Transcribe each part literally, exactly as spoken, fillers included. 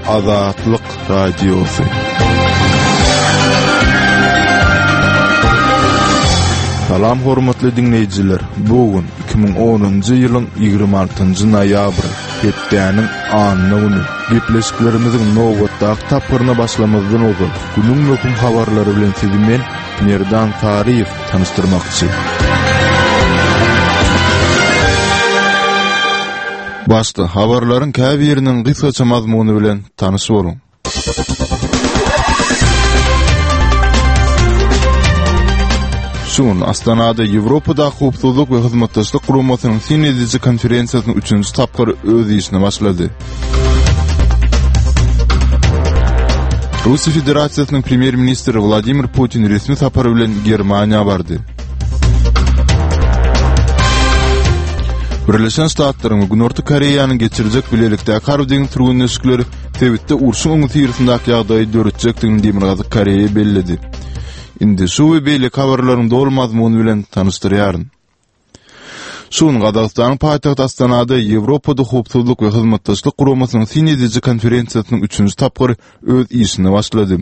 Azatlyk Radiosy. Salam hormatly diňleýjiler. Bu gün iki müň onunjy ýylyň ýigrimi altynjy noýabry, hepdäniň anna güni. Gepleşiklerimiziň nobatdaky tapgyryna başlamazdan ozal, günüň möhüm habarlary bilen sizi men, Merdan Saryýew tanyşdyrmakçy. Başda habarlaryň käbiriniň gysgaça mazmuny bilen tanyş boluň. Şu gün Astanada Ýewropada Howpsuzlyk we Hyzmatdaşlyk Guramasynyň syn ediji konferensiýasynyň üçünji tapgyry öz işine başlady. Russiýa Federasiýasynyň Premýer-ministri Wladimir Putin resmi sapar bilen Germaniýa bardy. Birleşen Ştatlaryň we Günorta Koreýanyň geçirjek bilelikdäki harby-deňiz türgenleşikleri sebitde urşuň öňüsyrasyndaky ýagdaýy döretjekdigini Demirgazyk Koreýa belledi. Indi şu we beýleki habarlaryň doly mazmuny bilen tanyşdyrýaryn. Şu gün Gazagystanyň paýtagty Astanada Ýewropada Howpsuzlyk we Hyzmatdaşlyk Guramasynyň syn ediji konferensiýasynyň üçünji tapgyry öz işine başlady.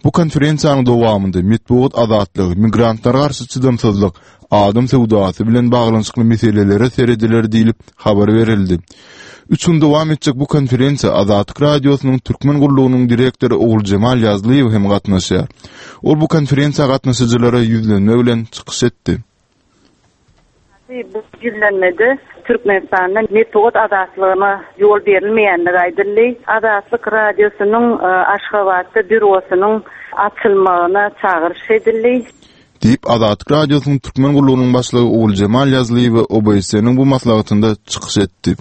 Bu konferensiýanyň dowamynda metbugat azatlygy, migrantlara garşy çydamsyzlyk, adam söwdasy bilen baglanyşykly meselelere serediler diýlip habar berildi. Üç gün dowam etjek bu konferensiýa Azatlyk Radiosynyň Türkmen gullugynyň direktory Oguljemal Ýazlyýew hem gatnaşýar. Ol bu konferensiýa gatnaşyjylara ýüzlenme bilen çykyş etdi. Bu ýüzlenmede Türkmenistanda metbugat azatlygyna ýol berilmeýändigi aýdyldy. Azatlyk Radiosynyň Aşgabatda býurosynyň açylmagyna çagyryş edildi. Diýip, Azatlyk Radiosynyň Türkmen gullugynyň başlygy Oguljemal Ýazlyýewa O B S N-iň bu maslahatynda çykyş etdi.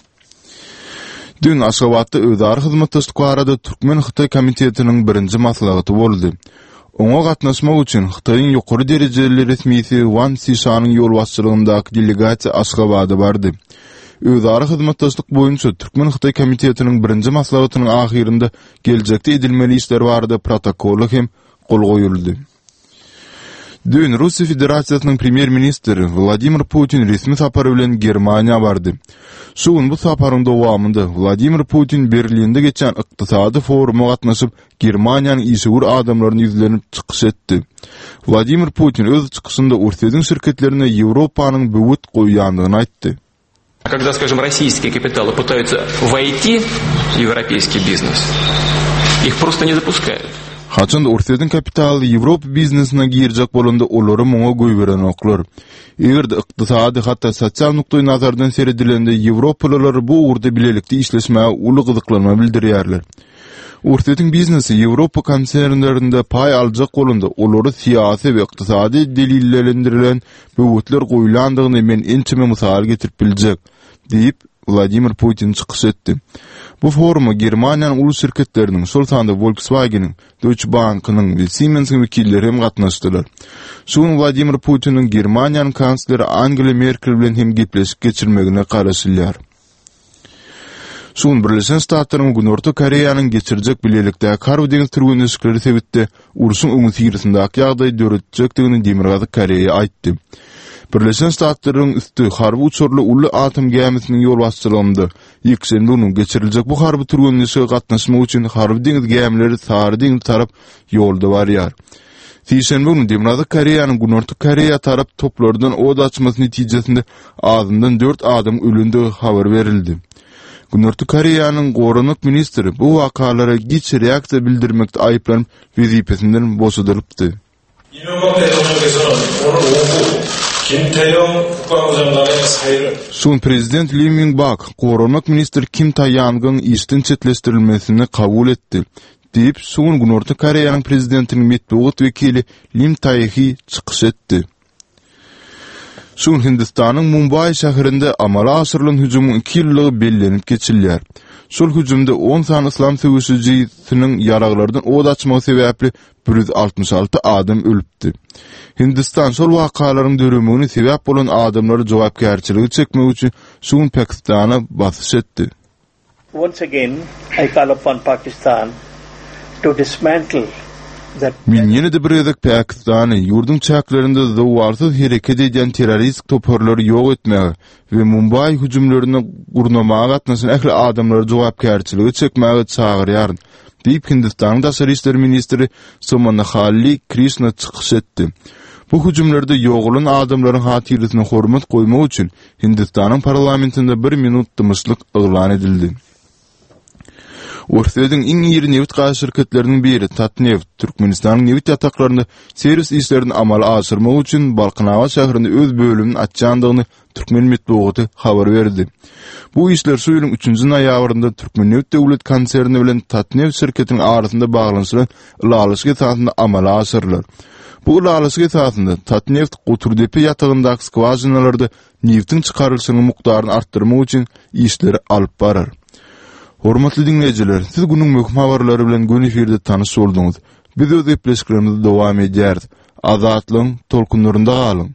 Dün Aşgabatda özara hyzmatdaşlyk barada Türkmen-Hytaý komitetiniň birinji maslahaty boldy. Oňa gatnaşmak üçin Hytaýyň ýokary derejeli resmisi Wan Sişanyň ýolbaşçylygyndaky delegasiýa Aşgabada bardy. Özara hyzmatdaşlyk boýunça Türkmen-Hytaý komitetiniň birinji maslahatynyň ahyrynda geljekde edilmeli işler barada protokola hem gol goýuldy. Dün Russiýa Federasiýasynyň Premýer-ministri Wladimir Putin resmi sapar bilen Germaniýa bardy. Şu gün bu saparyň dowamynda Wladimir Putin Berlinde geçen ykdysady foruma gatnaşyp, Germaniýanyň işewür adamlaryny ýüzlenip çykyş etdi. Wladimir Putin öz çykyşynda Orsýetiň şirketlerine Ýewropanyň böwet goýýandygyny aýtdy. Когда, скажем, российские капиталы пытаются войти в европейский бизнес, их просто не запускают. Haçan Orsýetiň kapitaly Ýewropa biznesine girjek bolanda olary muňa goýberenoklar. Eger-de ykdysady, hatda sosial nukdaý nazardan seredilende Ýewropalylar bu ugurda bilelikde işleşmäge uly gyzyklanma bildirýärler. Orsýetiň biznesi Ýewropa konsernlerinde paý aljak bolanda olary syýasy we ykdysady delillendirilen böwetler goýlandygyny men ençeme mysal getirip biljek, diýip Wladimir Putin çykyş etdi. Bu foruma Germaniýanyň uly şirketleriniň, şol sanda Volkswagen-iň, Deutsche Bank-ynyň we Siemens-iň wekilleri hem gatnaşdylar. Şu gün Wladimir Putiniň Germaniýanyň kansleri Angela Merkel bilen hem gepleşik geçirmegine garaşylýar. Şu gün Birleşen Ştatlaryň Günorta Koreýanyň geçirjek bilelikdäki harby deňiz türgenleşikleri sebitde urşuň öňüsyrasyndaky ýagdaýy döretjekdigini Demirgazyk Koreýa aýtdy. Birleşen Ştatlaryň üsti harby uçarly uly atom gämisiniň ýolbaşçylygynda ýekşenbe günü geçiriljek bu harby türgenleşige gatnaşmak üçin harby deňiz gämileri Sary deňiz tarap ýolda barýar. Sişenbe günü Demirgazyk Koreýanyň Günorta Koreýa tarap toplardan od açmasy netijesinde azyndan dört adam ölündigi habar berildi. Günorta Koreýanyň goranmak ministri bu wakalara giç reaksiýa bildirmekde aýyplanyp wezipesinden boşadylypdy. 이명박 대통령께서는 오늘 오후 김태영 국방부 장관의 사의를 Şu prezident Lee Myung-bak goranmak ministri Kim Tae-yang'ın işden çetleşdirilmesini kabul etdi. Diýip, şu gün Günorta Koreýanyň prezidentiniň metbugat wekili Lim Tae-hee çykyş etdi. Şu gün Hindistanyň Mumbai şäherinde amala aşyrylan hüjümiň iki ýyllygy bellenip geçilýär. Şol hüjümde on sany islam söweşijisiniň ýaraglardan od açmagy sebäpli bir ýüz altmyş alty adam ölüpdi. Hindistan şol wakalaryň döremegine sebäp bolan adamlary jogapkärçiligi çekmek üçin şu gün Pakistana basyş etdi. Once again, I call upon Pakistan to dismantle Men ýene-de bir gezek Pakistany ýurduň çäklerinde zowalsyz hereket edýän terrorist toparlary ýok etmäge we Mumbai hüjümlerini gurnamaga gatnaşan ähli adamlary jogapkärçilige çekmäge çagyrýaryn, diýip Hindistanyň daşary işler ministri Somanahalli Krişna çykyş etdi. Bu hüjümlerde ýogalan adamlaryň hatyrasyna hormat goýmak üçin Hindistanyň parlamentinde bir minut dymyşlyk yglan edildi. Orsýetiň iň iri nebit gaz şirketleriniň biri Tatneft Türkmenistanyň nebit ýataklarynda serwis işlerini amala aşyrmak üçin Balkanabat şäherinde öz bölümini açýandygyny türkmen metbugaty habar berdi. Bu işler şu ýylyň üçünji noýabrynda Türkmennebit döwlet konserni bilen Tatneft şirketiniň arasynda baglanyşylan ylalaşyk esasynda amala aşyrylar. Bu ylalaşyk esasynda Tatneft Goturdepe ýatagyndaky skwažinalarda nebitiň çykarylyşynyň mukdaryny artdyrmak üçin işleri alyp barar. Hormatly diňleýjiler, siz günüň möhüm habarlary bilen göni efirde tanyş bolduňyz. Biz öz gepleşiklerimizi dowam edýäris. Azatlygyň tolkunlarynda galyň.